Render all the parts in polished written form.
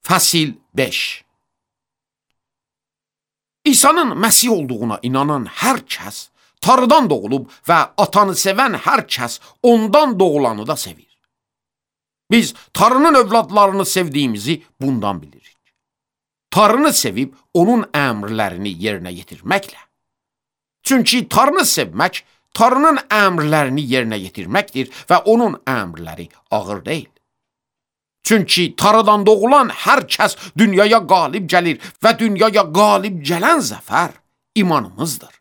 Fəsil 5. İsa'nın Məsih olduğuna inanan hər kəs Tanrıdan doğulub və atanı sevən hər kəs ondan doğulanı da sevir. Biz Tanrının övladlarını sevdiyimizi bundan bilirik. Tanrını sevib onun əmrlərini yerinə yetirməklə. Çünki Tanrını sevmək, Tanrının əmrlərini yerinə yetirməkdir və onun əmrləri ağır deyil. Çünki Tanrıdan doğulan hər kəs dünyaya qalib gəlir və dünyaya qalib gələn zəfər imanımızdır.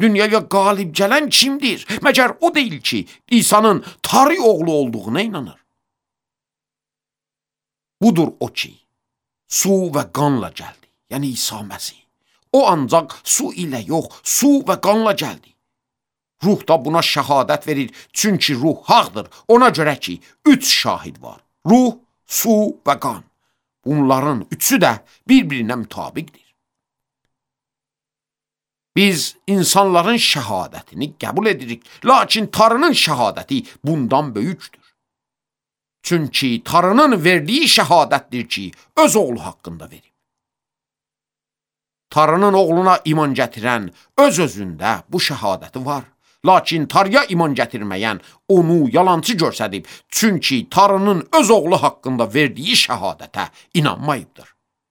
Dünyaya qalib gələn kimdir? Məgər o deyil ki, İsa'nın Tanrı oğlu olduğuna inanır. Budur o ki, su və qanla gəldi, yəni İsa Məsih. O ancaq su ilə yox, su və qanla gəldi. Ruh da buna şəhadət verir, çünki ruh haqdır. Ona görə ki, 3 şahid var. Ruh, su və qan. Bunların üçü də bir-birinə mütabiqdir. Biz insanların şəhadətini qəbul edirik, lakin Tanrının şəhadəti bundan böyükdür. Çünki Tanrının verdiyi şəhadətdir ki, öz oğlu haqqında verib. Tanrının oğluna iman gətirən öz-özündə bu şəhadəti var. Lakin Tanrıya iman gətirməyən onu yalançı görsədib, çünki Tanrının öz oğlu haqqında verdiyi şəhadətə inanmayıbdır.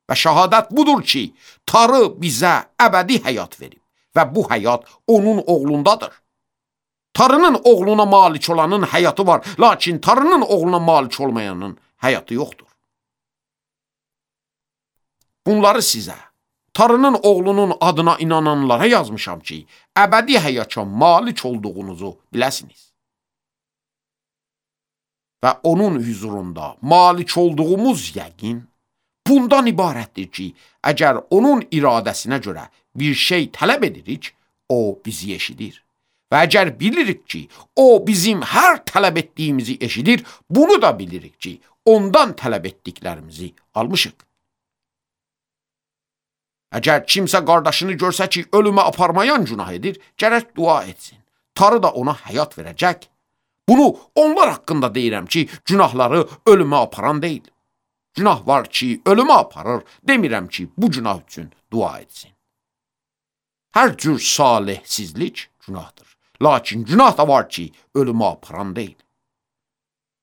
Və şəhadət budur ki, Tanrı bizə əbədi həyat verib və bu həyat onun oğlundadır. Tanrının oğluna malik olanın həyatı var, lakin Tanrının oğluna malik olmayanın həyatı yoxdur. Bunları sizə, Tanrının oğlunun adına inananlara yazmışam ki, əbədi həyata malik olduğunuzu biləsiniz. Və onun huzurunda malik olduğumuz yəqin bundan ibarətdir ki, əgər onun iradəsinə görə bir şey tələb edirik, o bizi eşidir. Və əgər bilirik ki, o bizim hər tələb etdiyimizi eşidir, bunu da bilirik ki, ondan tələb etdiklərimizi almışıq. Əgər kimsə qardaşını görsə ki, ölümə aparmayan günah edir, gərək dua etsin. Tanrı da ona həyat verəcək. Bunu onlar haqqında deyirəm ki, günahları ölümə aparan deyil. Günah var ki, ölümə aparır, demirəm ki, bu günah üçün dua etsin. Hər cür salihsizlik günahdır. Lakin günah da var ki, ölümə aparan deyil.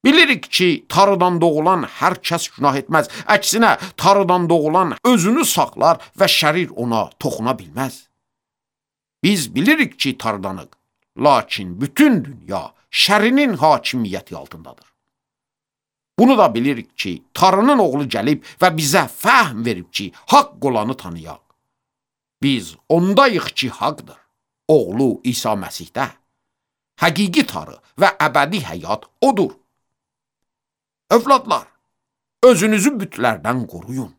Bilirik ki, Tanrıdan doğulan hər kəs günah etməz. Əksinə, Tanrıdan doğulan özünü saxlar və şərir ona toxuna bilməz. Biz bilirik ki, Tanrıdanıq, lakin bütün dünya şərinin hakimiyyəti altındadır. Bunu da bilirik ki, Tanrının oğlu gəlib və bizə fəhm verib ki, haqq olanı tanıyaq. Biz ondayıq ki, haqdır. Oğlu İsa Məsihdə. Həqiqi Tanrı və əbədi həyat odur. Övladlar, özünüzü bütlərdən qoruyun.